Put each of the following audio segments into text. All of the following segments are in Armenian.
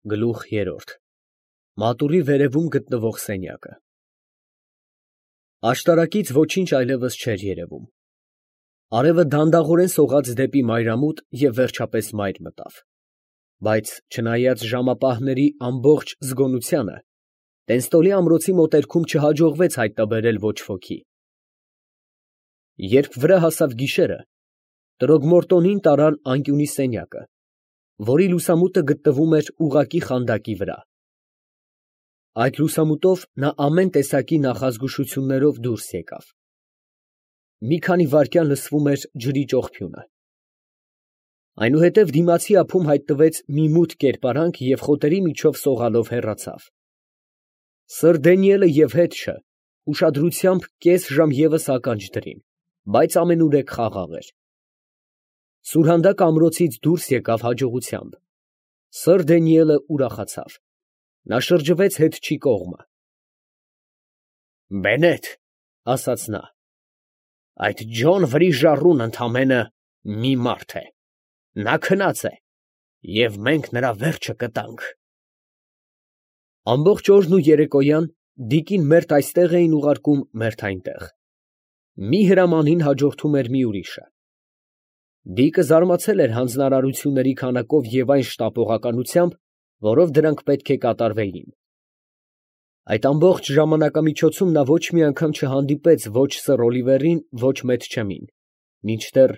Գլուխ երրորդ Մատուռի վերևում գտնվող սենյակը Աշտարակից ոչինչ այլևս չէր երևում։ Արևը դանդաղորեն սողաց դեպի մայրամուտ և վերջապես մայր մտավ, բայց չնայած ժամապահների ամբողջ զգոնությանը, Տենստոլի ամրոցի մոտերքում չհաջողվեց հայտնաբերել ոչ ոքի։ Երբ վրա հասավ գիշերը, տրոգմորտոնին տարան անկյունի սենյակը, որի լուսամուտը գտնվում էր ուղղակի խանդակի վրա։ Այդ լուսամուտով նա ամեն տեսակի նախազգուշություններով դուրս եկավ։ Մի քանի վայրկյան լսվում էր ջրի ճողփյունը։ Այնուհետև դիմացի ափում հայտնվեց մի մութ կերպարանք և խոտերի միջով սողալով հեռացավ։ Սըր Դանիելը և հետը ուշադրությամբ կես ժամ ևս ականջ դրին, բայց ամենուրեք խաղաղ էր։ Սուրհանդակ ամրոցից դուրս եկավ հաջողությամբ։ Սըր Դանիելը ուրախացավ։ Նա շրջվեց հետչի կողմը։ «Բենետ, ֊ ասաց նա, ֊ այդ Ջոն Վրիժառուն ընդամենը մի մարդ է. նա քնած է, և մենք նրա վերջը կտանք»։ Ամբողջ օրն ու երեկոյան Դիկին մերթ այստեղ էին ուղարկում, մերթ այնտեղ. մի հրամանին հաջորդում էր մի ուրիշը։ Դիկը զարմացել էր հանձնարարությունների քանակով և այն շտապողականությամբ, որով դրանք պետք է կատարվեին։ Այդ ամբողջ ժամանակամիջոցում նա ոչ մի անգամ չհանդիպեց ոչ սըր Օլիվերին, ոչ Մեթչեմին, մինչդեռ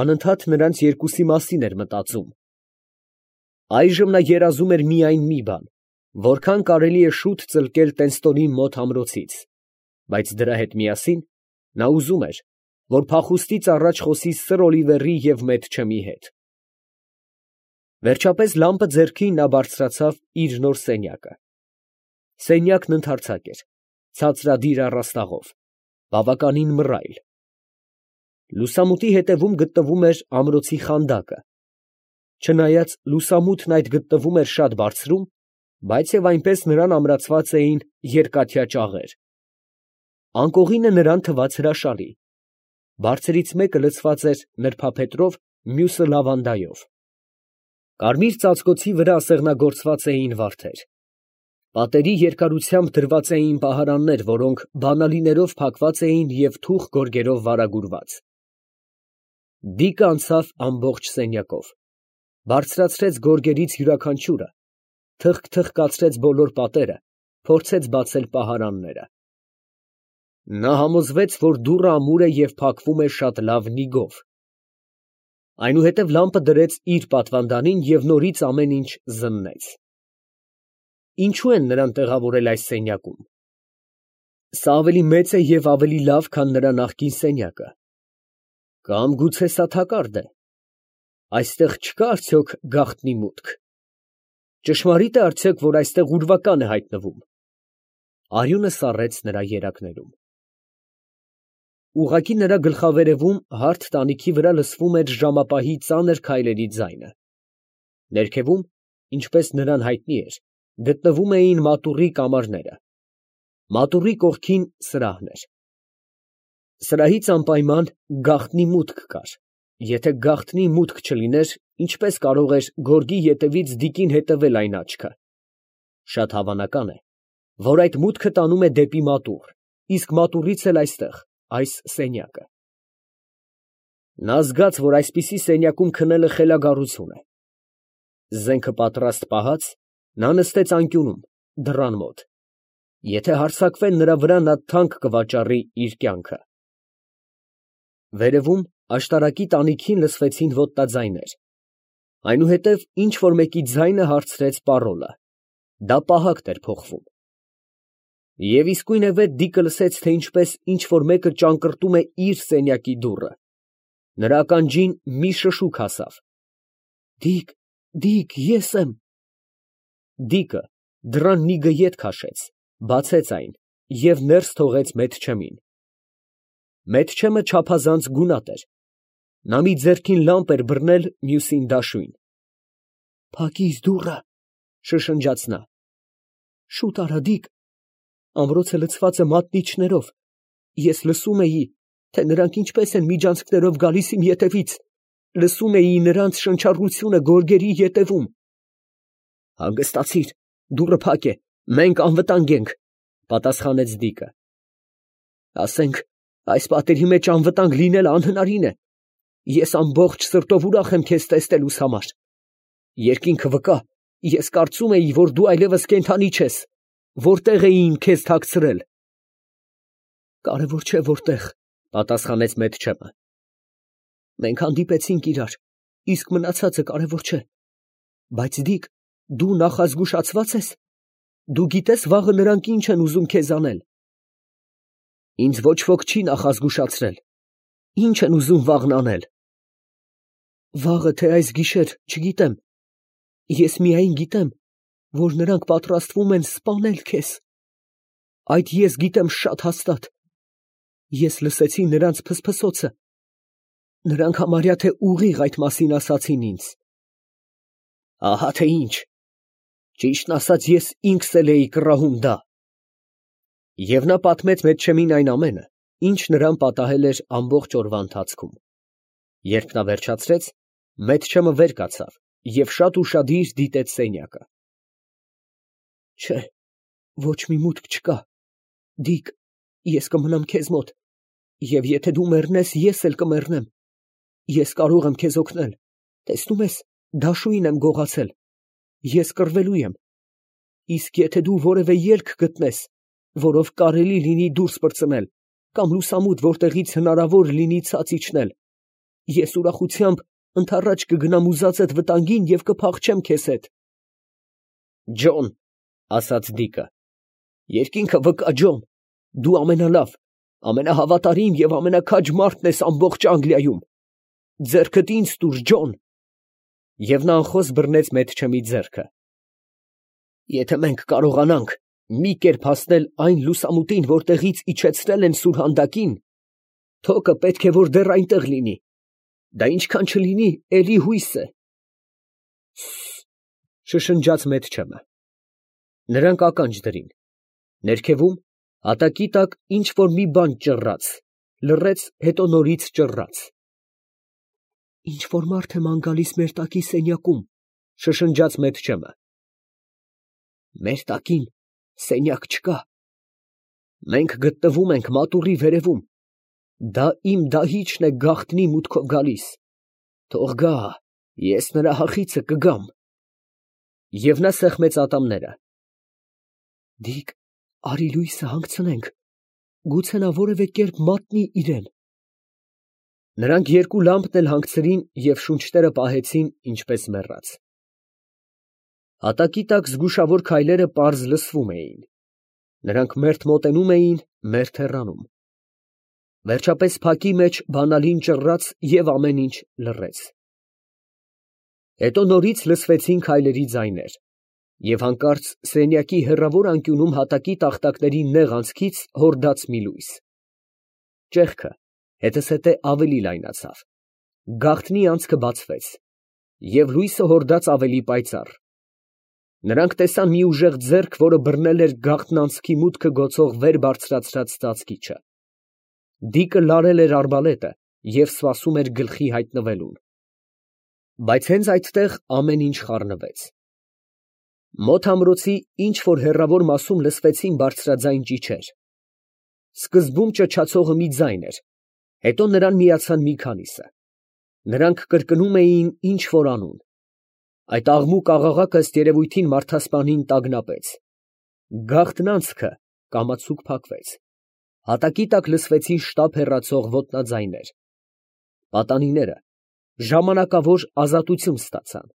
անընդհատ նրանց երկուսի մասին էր մտածում։ Այժմ նա երազում էր միայն մի բան, որքան կարելի է շուտ ծլկել Տենստոնի մոտ ամրոցից, բայց դրա հետ միասին նա ուզում էր, որ փախուստից առաջ խոսի սըր Օլիվերի և Մեթչեմի հետ։ Վերջապես լամպը ձեռքին նա բարձրացավ իր նոր սենյակը։ Սենյակն ընդարձակ էր, ցածրադիր առաստաղով, բավականին մռայլ։ Լուսամուտի հետևում գտնվում էր ամրոցի խանդակը։ Չնայած լուսամուտն այդ գտնվում էր շատ բարձրում, բայց և այնպես նրան ամրացված էին երկաթյա ճաղեր։ Անկողինը նրան թվաց հրաշալի։ Բարձրից մեկը լցված էր նրբափետրով, մյուսը լավանդայով։ Կարմիր ծածկոցի վրա ասեղնագործված էին վարդեր։ Պատերի երկարությամբ դրված էին պահարաններ, որոնք բանալիներով փակված էին և թուխ գորգերով վարագուրված։ Դիկը անցավ ամբողջ սենյակով, բարձրացրեց գորգերից յուրաքանչյուրը, թխկացրեց բոլոր պատերը, փորձեց բացել պահարանները։ Նա համոզվեց, որ դուռը ամուր է և փակվում է շատ լավ նիգով։ Այնուհետև լամպը դրեց իր պատվանդանին և նորից ամեն ինչ զննեց։ Ինչո՞ւ են նրան տեղավորել այս սենյակում։ Սա ավելի մեծ է և ավելի լավ, քան նրա նախկին սենյակը։ Կամ գուցե սա թակարդ է։ Այստեղ չկա՞ արդյոք գաղտնի մուտք։ Ճշմարի՞տ է արդյոք, որ այստեղ ուրվական է հայտնվում։ Արյունը սառեց նրա երակներում։ Ուղղակի նրա գլխավերևում հարթ տանիքի վրա լսվում էր ժամապահի ծանր քայլերի ձայնը։ Ներքևում, ինչպես նրան հայտնի էր, գտնվում էին մատուռի կամարները։ Մատուռի կողքին սրահն էր։ Սրահից անպայման գաղտնի մուտք կար։ Եթե գաղտնի մուտք չլիներ, ինչպե՞ս կարող էր գորգի ետևից Դիկին հետևել այն աչքը։ Շատ հավանական է, որ այդ մուտքը տանում է դեպի մատուռ, իսկ մատուռից էլ այստեղ, այս սենյակը։ Նա զգաց, որ այսպիսի սենյակում քնելը խելագարություն է։ Զենքը պատրաստ պահած, նա նստեց անկյունում, դռան մոտ։ Եթե հարձակվեն նրա վրա, նա թանկ կվաճառի իր կյանքը։ Վերևում աշտարակի տանիքին լսվեցին ոտնաձայներ։ Այնուհետև ինչ֊որ մեկի ձայնը հարցրեց պարոլը։ Դա պահակն էր փոխվում։ Եվ իսկույնևեթ Դիկը լսեց, թե ինչպես ինչ֊որ մեկը ճանկռտում է իր սենյակի դուռը։ Նրա ականջին մի շշուկ հասավ. «Դիկ, Դիկ, ես եմ»։ Դիկը դռան նիգը ետ քաշեց, բացեց այն և ներս թողեց Մեթչեմին։ Մեթչեմը չափազանց գունատ էր։ Նա մի ձեռքին լամպ էր բռնել, մյուսին դաշույն։ «Փակիր դուռը», ֊ շշնջաց նա։ «Շուտ արա, Դիկ, ամրոցը լցված է մատնիչներով, ես լսում էի, թե նրանք ինչպես են միջանցքներով գալիս իմ ետևից, լսում էի նրանց շնչառությունը գորգերի ետևում»։ Հանգստացիր, դուռը փակ է, մենք անվտանգ ենք, պատասխանեց Դիկը։ Ասենք, այս պատերի մեջ անվտանգ լինելը անհնարին է։ Ես ամբողջ սրտով ուրախ եմ քեզ տեսնելուս համար։ Երկինքը վկա, ես կարծում էի, որ դու այլևս կենդանի չես, որտեղ էին քեզ թաքցրել։ Կարևոր չէ որտեղ, պատասխանեց Մեթչեմը։ Մենք հանդիպեցինք իրար, իսկ մնացածը կարևոր չէ։ Բայց Դիկ, դու նախազգուշացված ես։ Դու գիտես վաղը նրանք ինչ են ուզում քեզ անել։ Ինձ ոչ ոք չի նախազգուշացրել։ Ինչ են ուզում վաղն անել։ Վաղը թե այս գիշեր, չգիտեմ։ Ես միայն գիտեմ, որ նրանք պատրաստվում են սպանել քեզ։ Այդ ես գիտեմ շատ հաստատ։ Ես լսեցի նրանց փսփսոցը։ Նրանք համարյա թե ուղիղ այդ մասին ասացին ինձ։ Ահա թե ինչ։ Ճիշտն ասած, ես ինքս էլ էի կռահում դա։ Եվ նա պատմեց Մեթչեմին այն ամենը, ինչ նրան պատահել էր ամբողջ օրվա ընթացքում։ Երբ նա վերջացրեց, Մեթչեմը վեր կացավ և շատ ուշադիր դիտեց սենյակը։ Չէ, ոչ մի մուտք չկա։ Դիկ, ես կմնամ քեզ մոտ, և եթե դու մեռնես, ես էլ կմեռնեմ։ Ես կարող եմ քեզ օգնել։ Տեսնում ես, դաշույն եմ գողացել։ Ես կռվելու եմ։ Իսկ եթե դու որևէ ելք գտնես, որով կարելի լինի դուրս պրծնել, կամ լուսամուտ, որտեղից հնարավոր լինի ցած իջնել, ես ուրախությամբ ընդառաջ կգնամ ուզածդ վտանգին և կփախչեմ քեզ հետ։ Ջոն, ասաց Դիկը, երկինքը վկա, Ջոն, դու ամենալավ, ամենահավատարիմ և ամենաքաջ մարդն ես ամբողջ Անգլիայում։ Ձեռքդ ինձ տուր, Ջոն։ Եվ նա անխոս բռնեց Մեթչեմի ձեռքը։ Եթե մենք կարողանանք մի կերպ հասնել այն լուսամուտին, որտեղից իջեցրել են սուրհանդակին, թոկը պետք է որ դեռ այնտեղ լինի։ Դա ինչքան չլինի, էլի հույս է։ Շշնջաց Մեթչեմը։ Նրանք ականջ դրին։ Ներքևում, հատակի տակ ինչ որ մի բան ճռռաց, լռեց, հետո նորից ճռռաց։ Ինչ որ մարդ է ման գալիս մեր տակի սենյակում, շշնջաց Մեթչեմը։ Մեր տակին սենյակ չկա։ Մենք գտնվում ենք մատուռի վերևում։ Դա իմ դահիճն է գաղտնի մուտքով գալիս։ Թող գա, ես նրա հախիցը կգամ։ Եվ նա սեղմեց ատամները։ Դիկ, արի լույսը հանգցնենք, գուցե նա որևէ կերպ մատնի իրեն։ Նրանք երկու լամպն էլ հանգցրին և շունչները պահեցին, ինչպես մեռած։ Հատակի տակ զգուշավոր քայլերը պարզ լսվում էին։ Նրանք մերթ մոտենում էին, մերթ հեռանում։ Վերջապես փակի մեջ բանալին ճռռաց և ամեն ինչ լռեց։ Հետո նորից լսվեցին քայլերի ձայներ, և հանկարծ սենյակի հեռավոր անկյունում հատակի տախտակների նեղ անցքից հորդաց մի լույս։ Ճեղքը հետզհետե ավելի լայնացավ։ Գաղտնի անցքը բացվեց, և լույսը հորդաց ավելի պայծառ։ Նրանք տեսան մի ուժեղ ձեռք, որը բռնել էր գաղտնանցքի մուտքը գոցող վեր բարձրացրած ծածկիչը։ Դիկը լարել էր արբալետը և սպասում էր գլխի հայտնվելուն։ Բայց հենց այդտեղ ամեն ինչ խառնվեց։ Մոտ ամրոցի ինչ որ հեռավոր մասում լսվեցին բարձրաձայն ճիչեր։ Սկզբում ճչացողը մի ձայն էր, հետո նրան միացան մի քանիսը։ Նրանք կրկնում էին ինչ որ անուն։ Այդ աղմուկ աղաղակը ըստ երևույթին մարդասպանին տագնապեց։ Գաղտնանցքը կամացուկ փակվեց։ Հատակի տակ լսվեցին շտապ հեռացող ոտնաձայներ։ Պատանիները ժամանակավոր ազատություն ստացան։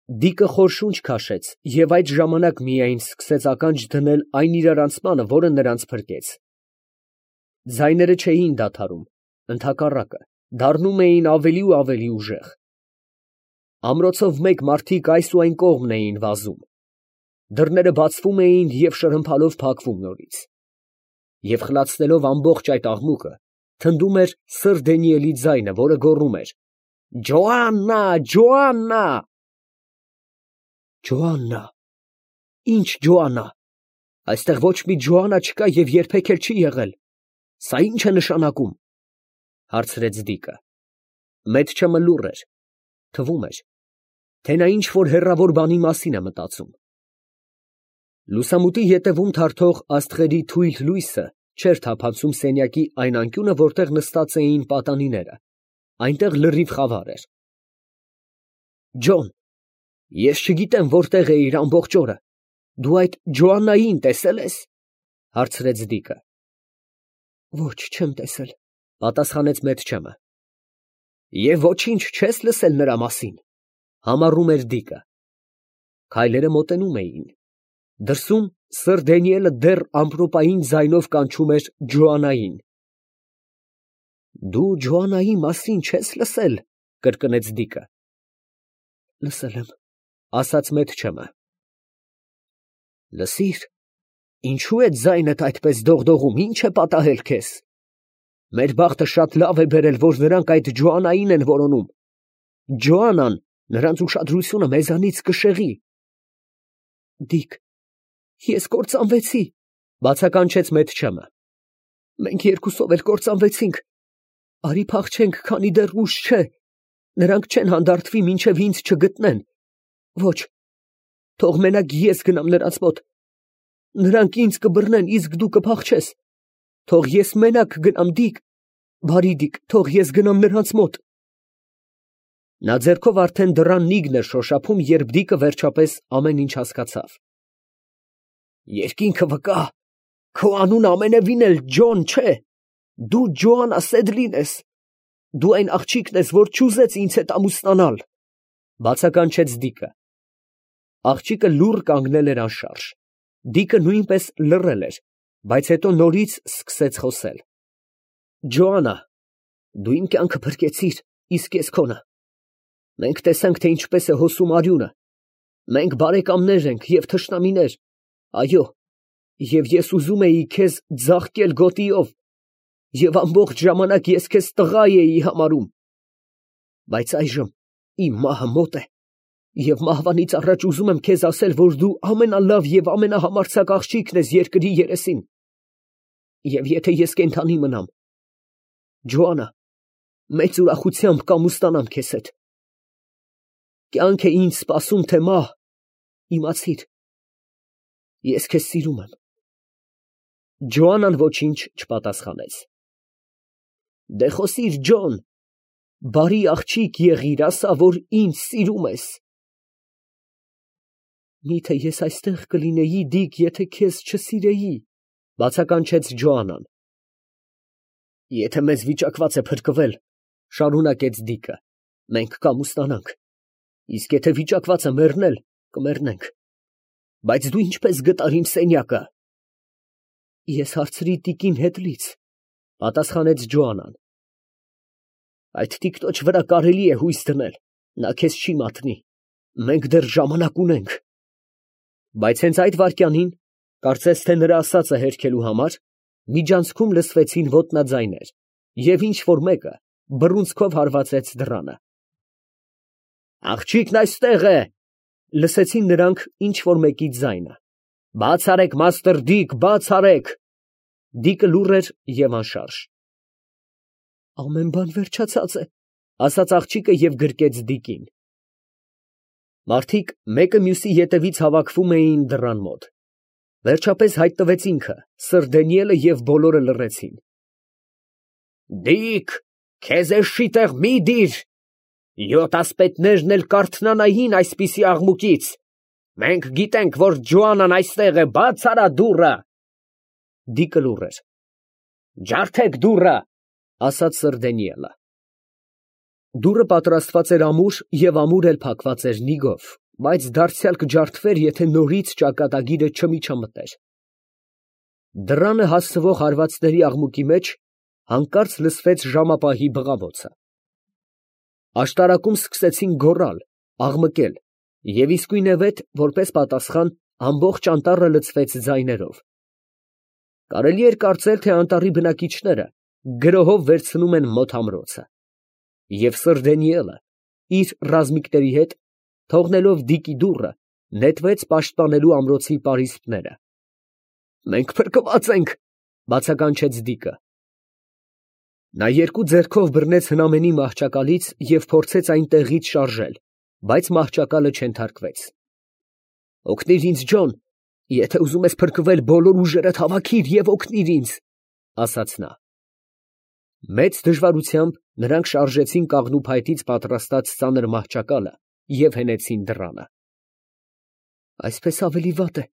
Դիկը խոր շունչ քաշեց և այդ ժամանակ միայն սկսեց ականջ դնել այն իրարանցմանը, որը նրանց փրկեց։ Ձայները չէին դադարում, ընդհակառակը, դառնում էին ավելի ու ավելի ուժեղ։ Ամրոցով մեկ մարդիկ այս ու այն կողմն էին վազում։ Դռները բացվում էին և շրհմփալով փակվում նորից։ Եվ խլացնելով ամբողջ այդ աղմուկը, թնդում էր սըր Դանիելի ձայնը, որը գոռում էր. «Ջոաննա, Ջոաննա»։ Ջոաննա։ Ի՞նչ Ջոաննա։ Այստեղ ոչ մի Ջոաննա չկա և երբեք էլ չի եղել։ Սա ի՞նչ է նշանակում, հարցրեց Դիկը։ Մեթչեմը լուռ էր, թվում էր, թե նա ինչ-որ հեռավոր բանի մասին է մտածում։ Լուսամուտի ետևում թարթող աստղերի թույլ լույսը չէր թափանցում սենյակի այն անկյունը, որտեղ նստած էին պատանիները, այնտեղ լրիվ խավար էր։ Ջոն, ես չգիտեմ որտեղ էիր ամբողջ օրը, դու այդ Ջոաննային տեսել ես, հարցրեց Դիկը։ Ոչ, չեմ տեսել, պատասխանեց Մեթչեմը։ Եվ ոչինչ չես լսել նրա մասին, համառում էր Դիկը։ Քայլերը մոտենում էին։ Դրսում սըր Դանիելը դեռ ամպրոպային ձայնով կանչում էր Ջոաննային։ Դու Ջոաննայի մասին չես լսել, կրկնեց Դիկը։ Լսել եմ, ասաց Մեթչեմը։ Լսիր, ինչու է ձայնդ այդպես դողդողում, ինչ է պատահել քեզ։ Մեր բախտը շատ լավ է բերել, որ նրանք այդ Ջոաննային են որոնում։ Ջոաննան նրանց ուշադրությունը մեզանից կշեղի։ Դիկ, ես կործանվեցի, բացականչեց Մեթչեմը։ Մենք երկուսով էլ կործանվեցինք։ Արի փախչենք, քանի դեռ ուշ չէ։ Նրանք չեն հանդարտվի, մինչև ինձ չգտնեն։ Ոչ, թող մենակ ես գնամ նրանց մոտ։ Նրանք ինձ կբռնեն, իսկ դու կփախչես։ Թող ես մենակ գնամ, Դիկ, բարի Դիկ, թող ես գնամ նրանց մոտ։ Նա ձեռքով արդեն դռան նիգն էր շոշափում, երբ Դիկը վերջապես ամեն ինչ հասկացավ։ Երկինքը վկա, քո անունը ամենևին էլ Ջոն չէ, դու Ջոաննա Սեդլին ես, դու այն աղջիկն ես, որ չուզեց ինձ հետ ամուսնանալ, բացականչեց Դիկը։ Աղջիկը լուռ կանգնել էր անշարժ, Դիկը նույնպես լռել էր, բայց հետո նորից սկսեց խոսել։ Ջոաննա, դու իմ կյանքը փրկեցիր, իսկ ես քոնը։ Մենք տեսանք, թե ինչպես է հոսում արյունը, մենք բարեկամներ ենք և թշնամիներ, այո, և ես ուզում էի քեզ ձաղկել գոտիով, և ամբողջ ժամանակ ես քեզ տղա էի համարում, բայց այժմ իմ մահը մոտ է, և մահվանից առաջ ուզում եմ քեզ ասել, որ դու ամենալավ և ամենահամարձակ աղջիկն ես երկրի երեսին, և եթե ես կենդանի մնամ, Ջոաննա, մեծ ուրախությամբ կամուսնանամ քեզ հետ։ Կյանք է ինձ սպասում, թե մահ, իմացիր, ես քեզ սիրում եմ։ Ջոաննան ոչինչ չպատասխանեց։ Դե խոսիր, Ջոն, բարի աղջիկ եղիր, ասա, որ ինձ սիրում ես։ Միթե ես այստեղ կլինեի, Դիկ, եթե քեզ չսիրեի, բացականչեց Ջոաննան։ Եթե մեզ վիճակված է փրկվել, շարունակեց Դիկը, մենք կամուսնանանք, իսկ եթե վիճակված է մեռնել, կմեռնենք։ Բայց դու ինչպես գտար իմ սենյակը։ Ես հարցրի տիկին Հետլից, պատասխանեց Ջոաննան։ Այդ տիկտոջ վրա կարելի է հույս դնել, նա քեզ չի մատնի, մենք դեռ ժամանակ ունենք։ Բայց հենց այդ վայրկյանին, կարծես թե նրա ասածը հերքելու համար, միջանցքում լսվեցին ոտնաձայներ, և ինչ որ մեկը բռունցքով հարվածեց դռանը։ Աղջիկն այստեղ է, լսեցին նրանք ինչ որ մեկի ձայնը։ Բաց արեք, մաստր Դիկ, բաց արեք։ Դիկը լուռ էր և անշարժ։ Ամեն բան վերջացած է, ասաց աղջիկը և գրկեց Դիկին։ Մարդիկ մեկը մյուսի ետևից հավաքվում էին դռան մոտ։ Վերջապես հայտնվեց ինքը, սըր Դանիելը և բոլորը լռեցին։ Դիկ, քեզ էշի տեղ մի դիր, 7 ասպետներն էլ կարթնանային այսպիսի աղմուկից, մենք գիտենք, որ Ջոաննան այստեղ է, բաց արա դուռը։ Դիկը լուռ էր։ Ջարդեք դուռը, ասաց սըր Դանիելը։ Դուռը պատրաստված էր ամուր և ամուր էլ փակված էր նիգով, բայց դարձյալ կջարդվեր, եթե նորից ճակատագիրը չմիջամտեր։ Դռանը հասցվող հարվածների աղմուկի մեջ հանկարծ լսվեց ժամապահի բղավոցը։ Աշտարակում սկսեցին գոռալ, աղմկել, և իսկույնևեթ, որպես պատասխան, ամբողջ անտառը լցվեց ձայներով։ Կարելի էր կարծել, թե անտառի բնակիչները գրոհով վերցնում են մոտ ամրոցը։ Եվ սըր Դանիելը իր ռազմիկների հետ, թողնելով Դիկի դուռը, նետվեց պաշտպանելու ամրոցի պարիսպները։ Մենք փրկված ենք, բացականչեց Դիկը։ Նա երկու ձեռքով բռնեց հնամենի մահճակալից և փորձեց այն տեղից շարժել, բայց մահճակալը չենթարկվեց։ «Օգնիր ինձ, Ջոն, եթե ուզում ես փրկվել, բոլոր ուժերդ հավաքիր և օգնիր ինձ», ֊ ասաց նա։ Մեծ դժվարությամբ նրանք շարժեցին կաղնու փայտից պատրաստած ծանր մահճակալը և հենեցին դռանը։ «Այսպես ավելի վատ է,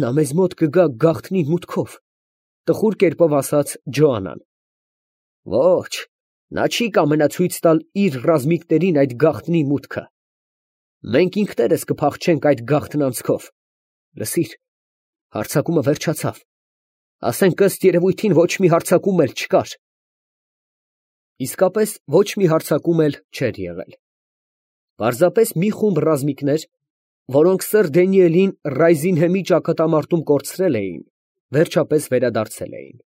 նա մեզ մոտ կգա գաղտնի մուտքով», ֊ տխուր կերպով ասաց Ջոաննան։ «Ոչ, նա չի կամենա ցույց տալ իր ռազմիկներին այդ գաղտնի մուտքը։ Մենք ինքներս կփախչենք այդ գաղտնանցքով։ Լսիր, հարձակումը վերջացավ, ասենք ըստ երևույթին ոչ մի հարձակում էլ չկար»։ Իսկապես ոչ մի հարձակում էլ չէր եղել։ Պարզապես մի խումբ ռազմիկներ, որոնք սըր Դանիելին Ռայզինհեմի ճակատամարտում կորցրել էին, վերջապես վերադարձել էին։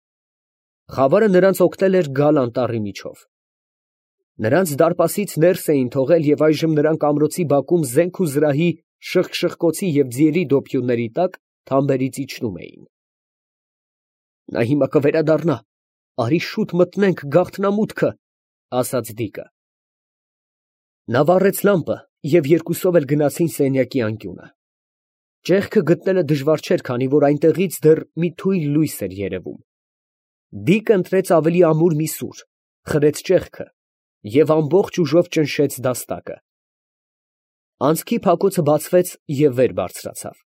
Խավարը նրանց օգնել էր գալ անտառի միջով։ Նրանց դարպասից ներս էին թողել և այժմ նրանք ամրոցի բակում զենք ու զրահի շխկշխկոցի և ձիերի դոփյունների տակ թամբերից իջնում էին։ «Նա հիմա կվերադառնա, արի շուտ մտնենք գաղտնամուտքը», ֊ ասաց Դիկը։ Նա վառեց լամպը և երկուսով էլ գնացին սենյակի անկյունը։ Ճեղքը գտնելը դժվար չէր, քանի որ այնտեղից դեռ մի թույլ լույս էր երևում։ Դիկը ընտրեց ավելի ամուր մի սուր, խրեց ճեղքը և ամբողջ ուժով ճնշեց դաստակը։ Անցքի փակոցը բացվեց և վեր բարձրացավ։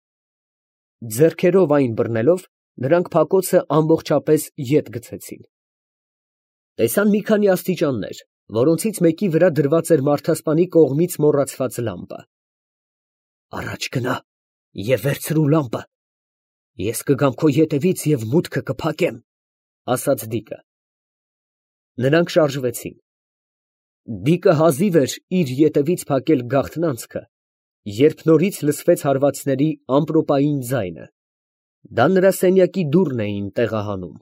Ձեռքերով այն բռնելով, նրանք փակոցը ամբողջապես ետ գցեցին։ Տեսան մի քանի աստիճաններ, որոնցից մեկի վրա դրված էր մարդասպանի կողմից մոռացված լամպը։ «Առաջ գնա և վերցրու լամպը, ես կգամ քո ետևից և մուտքը կփակեմ», ֊ ասաց Դիկը։ Նրանք շարժվեցին։ Դիկը հազիվ էր իր ետևից փակել գաղտնանցքը, երբ նորից լսվեց հարվածների ամպրոպային ձայնը. դա նրա սենյակի դուռն էին տեղահանում։